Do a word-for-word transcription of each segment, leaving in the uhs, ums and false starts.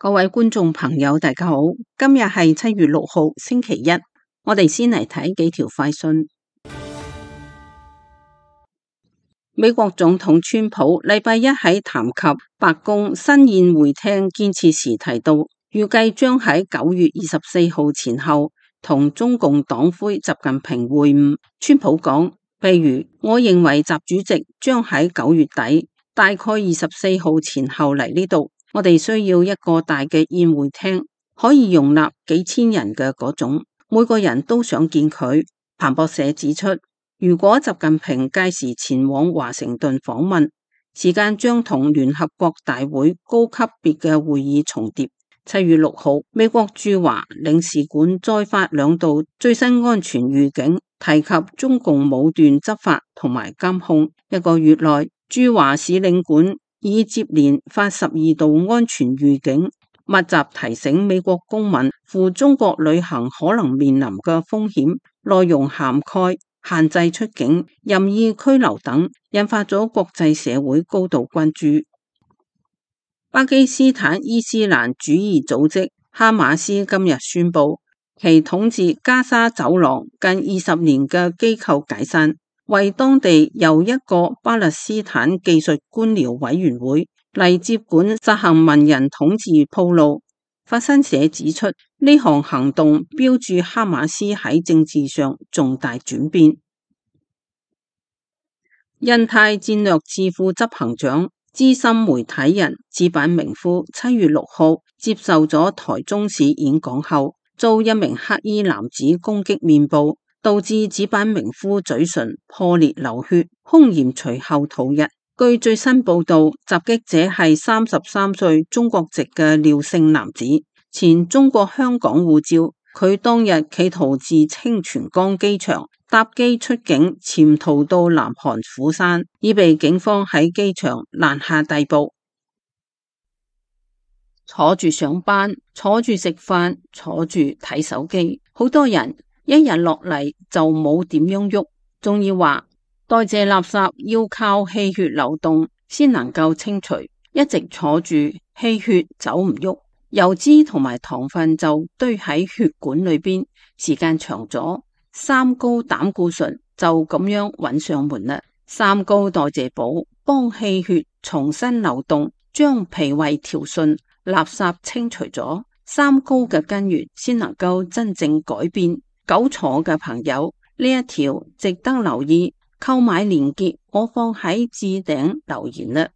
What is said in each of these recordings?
各位觀眾朋友，大家好，今日係七月六號，星期一，我哋先嚟睇幾條快訊。美國總統川普禮拜一喺談及白宮新宴會廳建設時提到，預計將喺九月二十四號前後同中共黨魁習近平會晤。川普講，譬如我認為習主席將喺九月底，大概二十四號前後嚟呢度。我哋需要一個大嘅宴會廳，可以容納幾千人嘅嗰種，每個人都想見佢。彭博社指出，如果習近平屆時前往華盛頓訪問，時間將同聯合國大會高級別嘅會議重疊。七月六號，美國駐華領事館再發兩道最新安全預警，提及中共武斷執法同埋監控。一個月內，駐華使領館已接連發十二道安全預警，密集提醒美國公民赴中國旅行可能面臨嘅風險，內容涵蓋限制出境、任意拘留等，引發咗國際社會高度關注。巴基斯坦伊斯蘭主義組織哈馬斯今日宣布，其統治加沙走廊近二十年嘅機構解散，為當地由一個巴勒斯坦技術官僚委員會嚟接管實行文人統治鋪路。法新社指出，呢項行動標註哈馬斯喺政治上重大轉變。印太戰略智庫執行長、資深媒體人矢板明夫七月六號接受咗台中市演講後，遭一名黑衣男子攻擊面部，導致矢板明夫嘴唇破裂流血，兇嫌隨後逃逸。據最新報道，襲擊者係三十三歲中國籍嘅廖姓男子，前中國香港護照。佢當日企圖自清泉崗機場搭機出境，潛逃到南韓釜山，已被警方喺機場攔下逮捕。坐住上班，坐住食飯，坐住睇手機，好多人一日落嚟就冇點樣喐，仲要話代謝垃圾要靠氣血流動先能夠清除，一直坐住氣血走唔喐，油脂同埋糖分就堆喺血管裏邊，時間長咗，三高膽固醇就咁樣揾上門啦。三高代謝補幫氣血重新流動，將脾胃調順，垃圾清除咗，三高嘅根源先能夠真正改變。久坐嘅朋友，呢一條值得留意，購買鏈接我放喺置頂留言啦。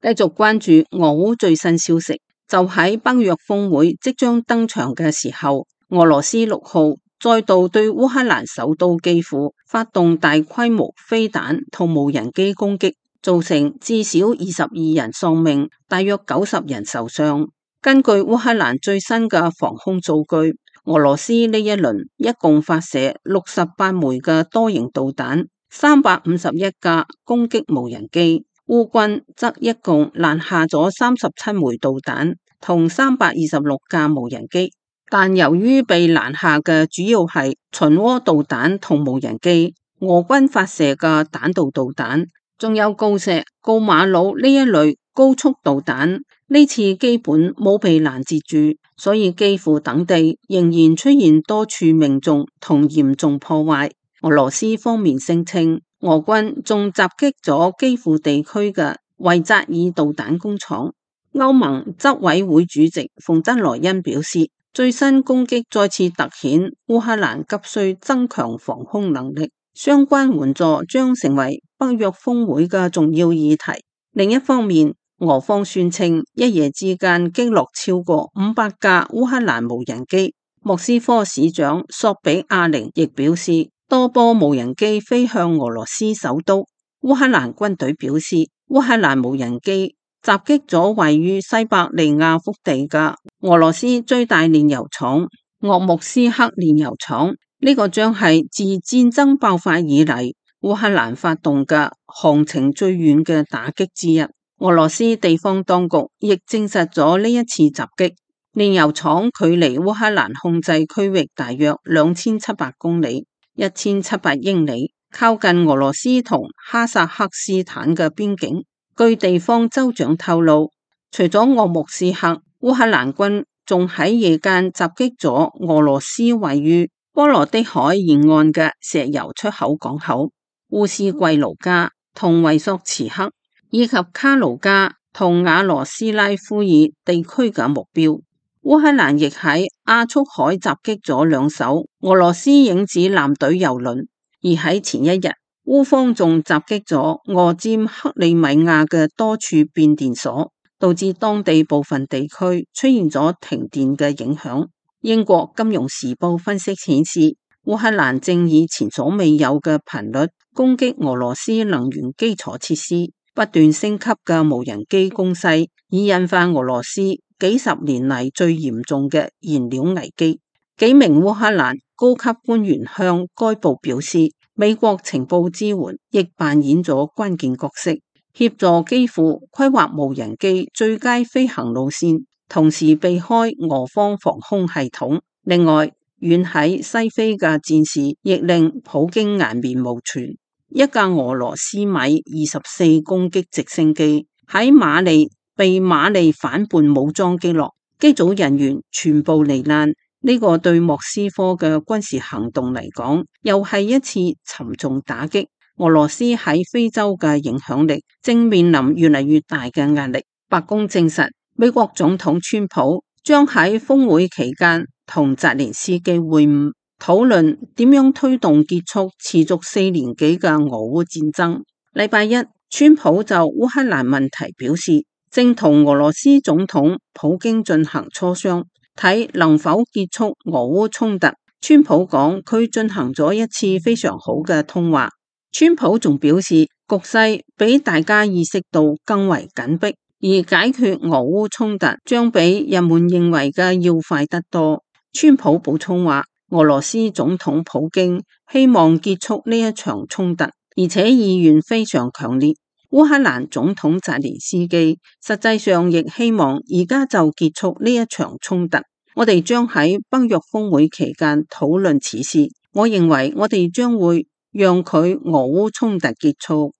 繼續關注俄烏最新消息，就喺北約峰會即將登場嘅時候，俄羅斯六號再度對烏克蘭首都基輔發動大規模飛彈同無人機攻擊，造成至少二十二人喪命，大約九十人受傷。根據烏克蘭最新嘅防空數據，俄羅斯呢一輪一共發射六十八枚嘅多型導彈，三百五十一架攻擊無人機。烏軍則一共攔下咗三十七枚導彈同三百二十六架無人機，但由於被攔下嘅主要係巡弋導彈同無人機，俄軍發射嘅彈道導彈仲有鋯石、鋯馬魯呢一類高速導彈，呢次基本冇被攔截住，所以基輔等地仍然出現多處命中同嚴重破壞。俄羅斯方面聲稱，俄軍仲襲擊咗基輔地區嘅維扎爾導彈工廠。歐盟執委會主席馮德萊恩表示，最新攻擊再次凸顯烏克蘭急需增強防空能力，相關援助將成為北約峰會嘅重要議題。另一方面，俄方宣稱一夜之間擊落超過五百架烏克蘭無人機。莫斯科市長索比亞寧亦表示，多波無人機飛向俄羅斯首都。烏克蘭軍隊表示，烏克蘭無人機襲擊咗位於西伯利亞腹地嘅俄羅斯最大煉油廠鄂木斯克煉油廠，呢個將係自戰爭爆發以嚟烏克蘭發動嘅航程最遠嘅打擊之一。俄羅斯地方當局亦證實咗呢一次襲擊。煉油廠距離烏克蘭控制區域大約兩千七百公里，一千七百英里，靠近俄羅斯同哈薩克斯坦嘅邊境。據地方州長透露，除咗鄂木斯克，烏克蘭軍仲喺夜間襲擊咗俄羅斯位於波羅的海沿岸嘅石油出口港口烏斯季盧加同維索茨克，以及卡盧加同瓦羅斯拉夫爾地區嘅目標。烏克蘭亦喺亞速海襲擊咗兩艘俄羅斯影子艦隊油輪，而喺前一日，烏方仲襲擊咗俄佔克里米亞嘅多處變電所，導致當地部分地區出現咗停電嘅影響。英國金融時報分析顯示，烏克蘭正以前所未有嘅頻率攻擊俄羅斯能源基礎設施，不斷升級嘅無人機攻勢已引發俄羅斯幾十年嚟最嚴重嘅燃料危機。幾名烏克蘭高級官員向該報表示，美國情報支援亦扮演咗關鍵角色，協助基輔規劃無人機最佳飛行路線，同時避開俄方防空系統。另外，遠喺西非嘅戰事亦令普京顏面無存。一架俄羅斯米二十四攻擊直升機喺馬利被馬利反叛武裝擊落，機組人員全部罹難。呢個對莫斯科嘅軍事行動嚟講，又係一次沉重打擊。俄羅斯喺非洲嘅影響力正面臨越嚟越大嘅壓力。白宮證實，美國總統川普將喺峰會期間同澤連斯基會晤，討論點樣推動結束持續四年幾嘅俄烏戰爭。禮拜一，川普就烏克蘭問題表示，正同俄羅斯總統普京進行磋商，睇能否結束俄烏衝突。川普講，佢進行咗一次非常好嘅通話。川普仲表示，局勢比大家意識到更為緊迫，而解決俄烏衝突將比人們認為嘅要快得多。川普補充話，俄羅斯總統普京希望結束呢一場衝突，而且意願非常強烈。烏克蘭總統澤連斯基實際上亦希望而家就結束呢一場衝突。我哋將喺北約峰會期間討論此事。我認為我哋將會讓佢俄烏衝突結束。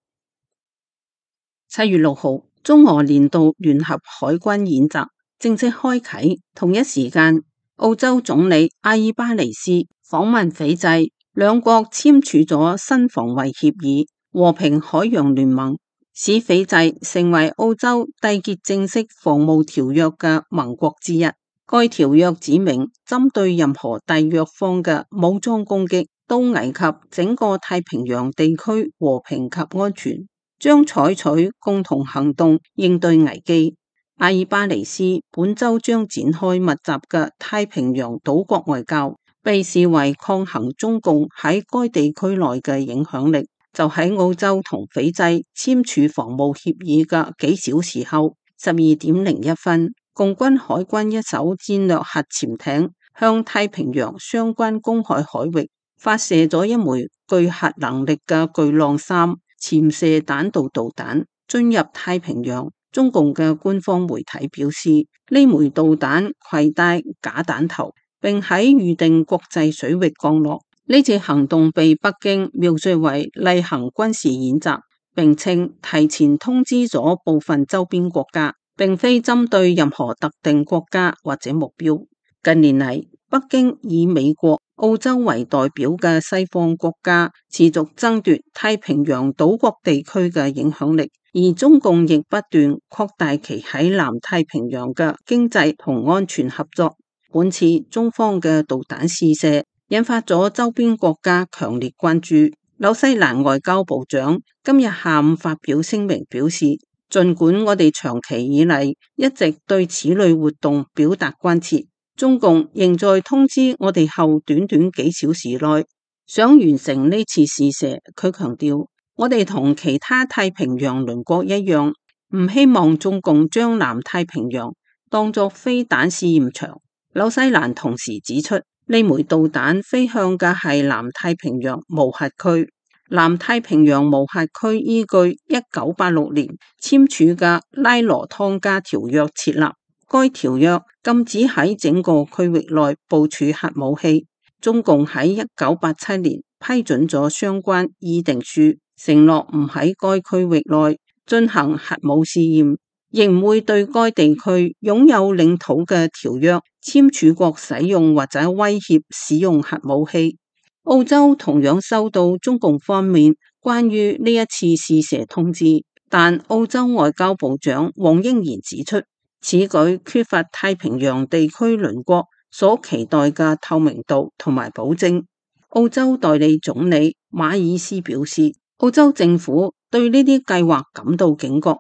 七月六號，中俄年度聯合海軍演習正式開啟。同一時間，澳洲總理阿爾巴尼斯訪問斐濟，兩國簽署咗新防衛協議，和平海洋聯盟，使斐濟成為澳洲締結正式防務條約嘅盟國之一。該條約指明，針對任何締約方嘅武裝攻擊都危及整個太平洋地區和平及安全，將採取共同行動應對危機。阿爾巴尼斯本周將展開密集嘅太平洋島國外交，被視為抗衡中共喺該地區內嘅影響力。就喺澳洲同斐濟簽署防務協議嘅幾小時後，十二點零一分，共軍海軍一艘戰略核潛艇向太平洋相關公海海域發射咗一枚具核能力嘅巨浪三潛射彈道導彈進入太平洋。中共嘅官方媒體表示，呢枚導彈攜帶假彈頭，並喺預定國際水域降落。呢次行動被北京描述為例行軍事演習，並稱提前通知咗部分周邊國家，並非針對任何特定國家或者目標。近年嚟，北京以美國、澳洲為代表嘅西方國家持續爭奪太平洋島國地區嘅影響力，而中共亦不斷擴大其喺南太平洋嘅經濟同安全合作。本次中方嘅導彈試射引發咗周邊國家強烈關注。紐西蘭外交部長今日下午發表聲明表示，儘管我哋長期以嚟一直對此類活動表達關切，中共仍在通知我哋後短短幾小時內想完成呢次試射。佢強調，我哋同其他太平洋鄰國一樣，唔希望中共將南太平洋當作飛彈試驗場。紐西蘭同時指出，呢枚導彈飛向嘅係南太平洋無核區。南太平洋無核區依據一九八六年簽署嘅拉羅湯加條約設立，該條約禁止喺整個區域內部署核武器。中共喺一九八七年批准咗相關議定書，承諾唔喺該區域內進行核武試驗，亦唔會對該地區擁有領土嘅條約簽署國使用或者威脅使用核武器。澳洲同樣收到中共方面關於呢一次試射通知，但澳洲外交部長黃英賢指出，此舉缺乏太平洋地區鄰國所期待嘅透明度同埋保證。澳洲代理總理馬爾斯表示，澳洲政府對呢啲計劃感到警覺。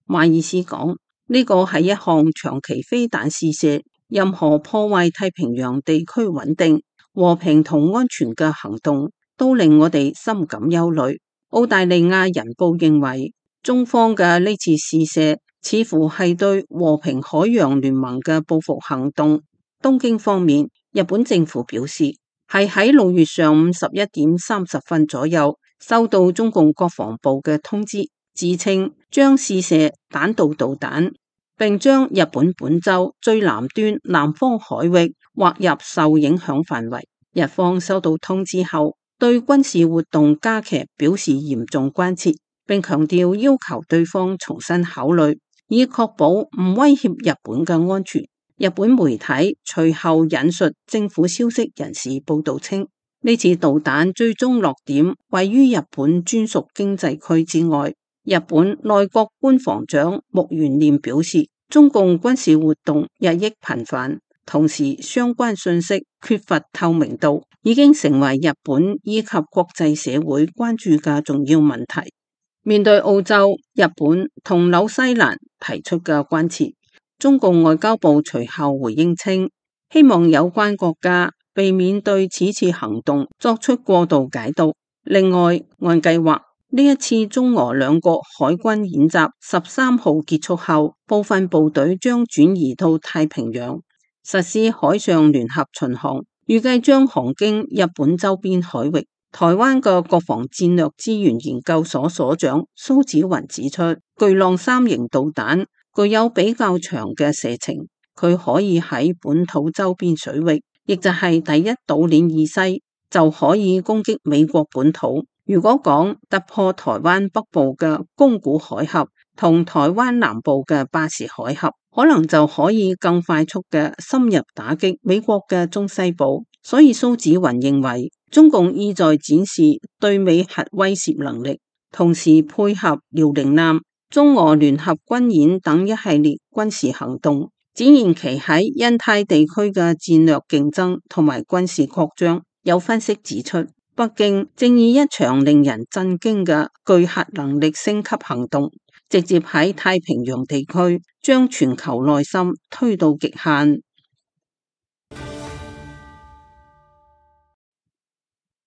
馬爾斯講，呢個係一項長期飛彈試射，任何破壞太平洋地區穩定、和平同安全嘅行動都令我哋深感憂慮。澳大利亞人報認為，中方嘅呢次試射似乎係對和平海洋聯盟嘅報復行動。東京方面，日本政府表示係喺六月上午十一點三十分左右收到中共國防部嘅通知，自稱將試射彈道導彈，並將日本本州最南端南方海域劃入受影響範圍。日方收到通知後，對軍事活動加劇表示嚴重關切，並強調要求對方重新考慮，以確保唔威脅日本嘅安全。日本媒體隨後引述政府消息人士報道稱，呢次導彈最終落點位於日本專屬經濟區之外。日本內閣官房長木原稔表示，中共軍事活動日益頻繁，同時相關信息缺乏透明度，已經成為日本以及國際社會關注嘅重要問題。面對澳洲、日本同紐西蘭提出嘅關切，中共外交部隨後回應稱，希望有關國家避免對此次行動作出過度解讀。另外，按計劃，呢一次中俄兩國海軍演習十三號結束後，部分部隊將轉移到太平洋，實施海上聯合巡航，預計將航經日本周邊海域。台灣嘅國防戰略資源研究所所長蘇紫雲指出，巨浪三型導彈具有比較長嘅射程，佢可以喺本土周邊水域，亦就係第一島鏈以西，就可以攻擊美國本土。如果講突破台灣北部嘅宮古海峽同台灣南部嘅巴士海峽，可能就可以更快速嘅深入打擊美國嘅中西部。所以蘇紫雲認為，中共意在展示對美核威懾能力，同時配合遼寧艦、中俄聯合軍演等一系列軍事行動，展現其喺印太地區嘅戰略競爭同埋軍事擴張。有分析指出，北京正以一場令人震驚嘅巨核能力升級行動，直接喺太平洋地區將全球內心推到極限。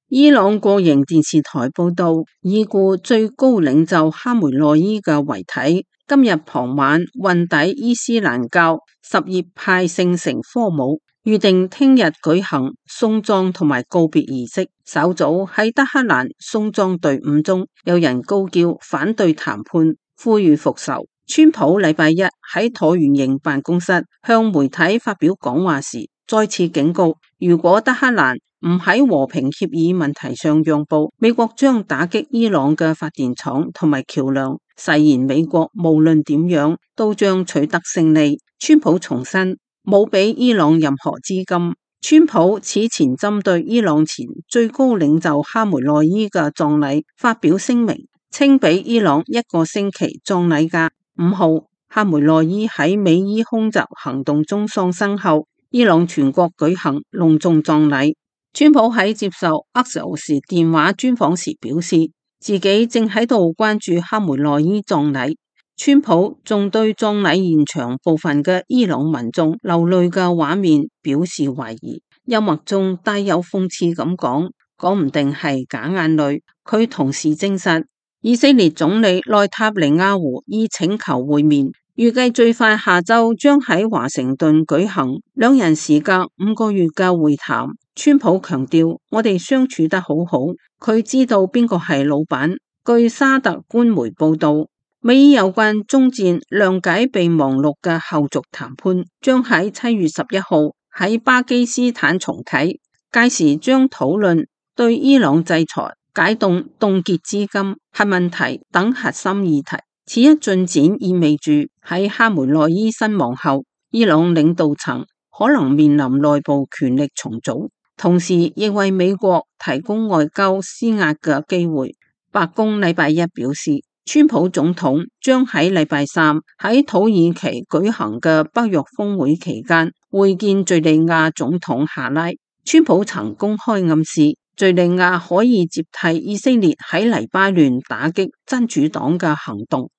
伊朗國營電視台報道，已故最高領袖哈梅內伊嘅遺體今日傍晚運抵伊斯蘭教什葉派聖城科姆，預定聽日舉行送葬同埋告別儀式。稍早喺德黑蘭送葬隊伍中，有人高叫反對談判，呼籲復仇。川普禮拜一喺橢圓形辦公室向媒體發表講話時，再次警告，如果德黑蘭唔喺和平協議問題上讓步，美國將打擊伊朗嘅發電廠同埋橋樑，誓言美國無論點樣都將取得勝利。川普重申冇俾伊朗任何資金。川普此前針對伊朗前最高領袖哈梅內伊嘅葬禮發表聲明，稱俾伊朗一個星期葬禮假。五號，哈梅內伊喺美伊空襲行動中喪生後，伊朗全國舉行隆重葬禮。川普喺接受 Axios 電話專訪時表示，自己正喺度關注哈梅內伊葬禮。川普仲對葬禮現場部分嘅伊朗民眾流淚嘅畫面表示懷疑，幽默中帶有諷刺咁講，講唔定係假眼淚。佢同時證實，以色列總理內塔尼亞胡已請求會面，預計最快下周將喺華盛頓舉行兩人時隔五個月嘅會談。川普強調，我哋相處得好好，佢知道邊個係老闆。據沙特官媒報道，美伊有關終戰諒解備忘錄嘅後續談判將喺七月十一號喺巴基斯坦重啟，屆時將討論對伊朗制裁、解凍凍結資金、核問題等核心議題。此一進展意味住喺哈梅內伊身亡後，伊朗領導層可能面臨內部權力重組，同時亦為美國提供外交施壓嘅機會。白宮禮拜一表示，川普總統將喺禮拜三喺土耳其舉行嘅北約峰會期間會見敘利亞總統夏拉。川普曾公開暗示，敘利亞可以接替以色列喺黎巴嫩打擊真主黨嘅行動。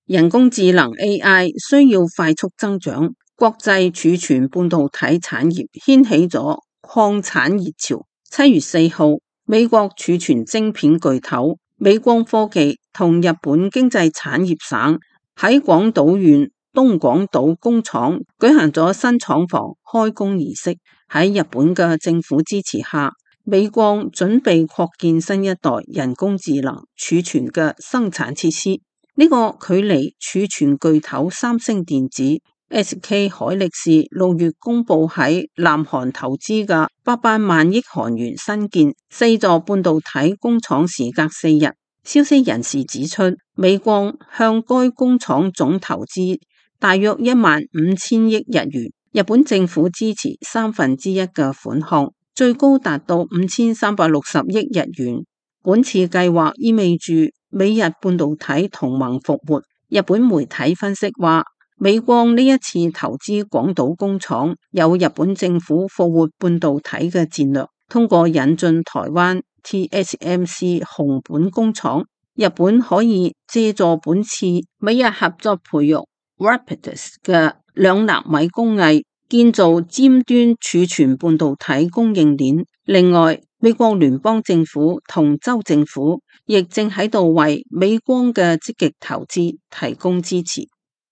人工智能 A I 需要快速增長，國際儲存半導體產業掀起咗擴產熱潮。七月四號，美國儲存晶片巨頭美光科技同日本經濟產業省喺廣島縣東廣島工廠舉行咗新廠房開工儀式。喺日本嘅政府支持下，美光準備擴建新一代人工智能儲存嘅生產設施。呢個距離儲存巨頭三星電子、S K 海力士六月公布喺南韓投資嘅八百萬億韓元新建四座半導體工廠時隔四日。消息人士指出，美光向該工廠總投資大約一萬五千億日元，日本政府支持三分之一嘅款項，最高達到五千三百六十億日元。本次計劃意味住美日半導體同盟復活。日本媒體分析話，美光呢一次投資廣島工廠有日本政府復活半導體嘅戰略，通過引進台灣 T S M C 熊本工廠，日本可以借助本次美日合作培育 Rapidus 嘅兩納米工藝，建造尖端儲存半導體供應鏈。另外，美國聯邦政府同州政府亦正喺度為美光嘅積極投資提供支持。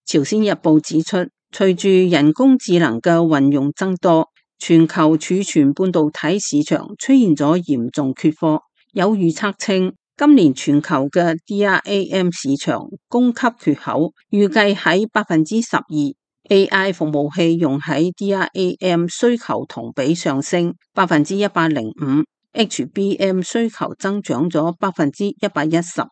朝鮮日報指出，隨住人工智能嘅運用增多，全球儲存半導體市場出現咗嚴重缺貨。有預測稱，今年全球嘅 D R A M 市場供給缺口預計喺百分之十二。A I 服務器用喺 D R A M 需求同比上升百分之一百零五。H B M 需求增長咗百分之一百一十。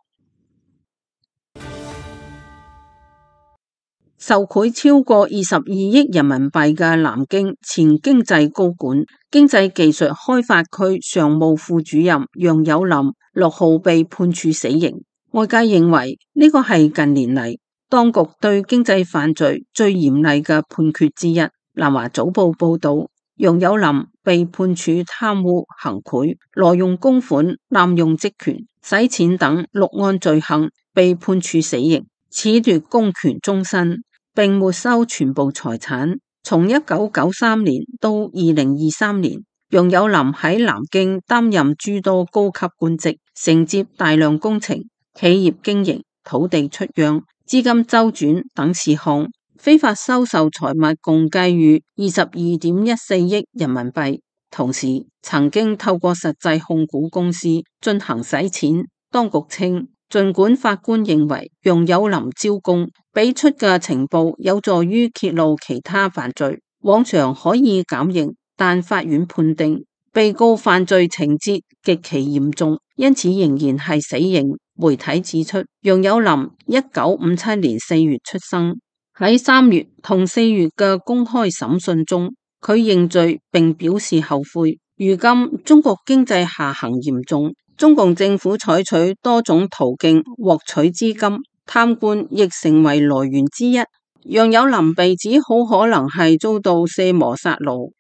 受賄超過二十二億人民幣嘅南京前經濟高管、經濟技術開發區常務副主任楊有林六號被判處死刑。外界認為呢個係近年嚟當局對經濟犯罪最嚴厲嘅判決之一。南華早報報道，楊有林被判處貪污、行賄、挪用公款、濫用職權、洗錢等六案罪行，被判處死刑，褫奪公權終身，並沒收全部財產。從一九九三年到二零二三年，楊有林喺南京擔任諸多高級官職，承接大量工程、企業經營、土地出讓、資金周轉等事項，非法收受財物共計逾二十二點一四億人民幣，同時曾經透過實際控股公司進行洗錢。當局稱，儘管法官認為楊有林招供俾出嘅情報有助於揭露其他犯罪，往常可以減刑，但法院判定被告犯罪情節極其嚴重，因此仍然係死刑。媒體指出，楊有林一九五七年四月出生。喺三月同四月嘅公開審訊中，佢認罪並表示後悔。如今中國經濟下行嚴重，中共政府採取多種途徑獲取資金，貪官亦成為來源之一。楊有林被指好可能係遭到卸磨殺奴。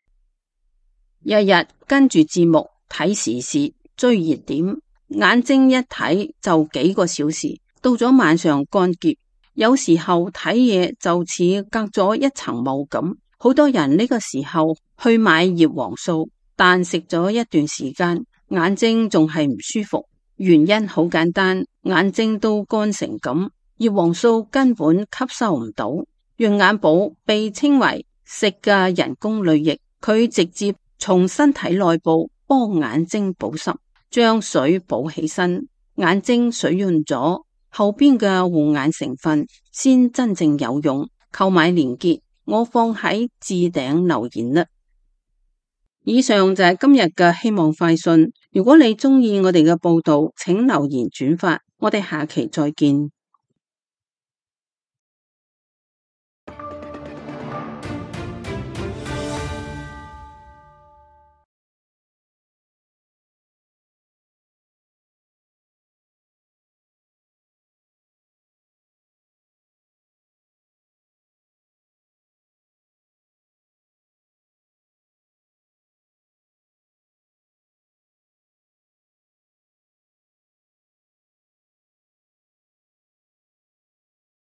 日日跟住節目睇時事追熱點，眼睛一睇就幾個小時，到咗晚上乾澀。有時候睇嘢就似隔咗一層霧咁。好多人呢個時候去買葉黃素，但食咗一段時間，眼睛仲係唔舒服。原因好簡單，眼睛都乾成咁，葉黃素根本吸收唔到。潤眼寶被稱為食嘅人工淚液，佢直接從身體內部幫眼睛保濕，將水補起身，眼睛水潤咗，後邊嘅護眼成分先真正有用。購買鏈接我放喺置頂留言啦。以上就係今日嘅希望快訊。如果你鍾意我哋嘅報道，請留言轉發。我哋下期再見。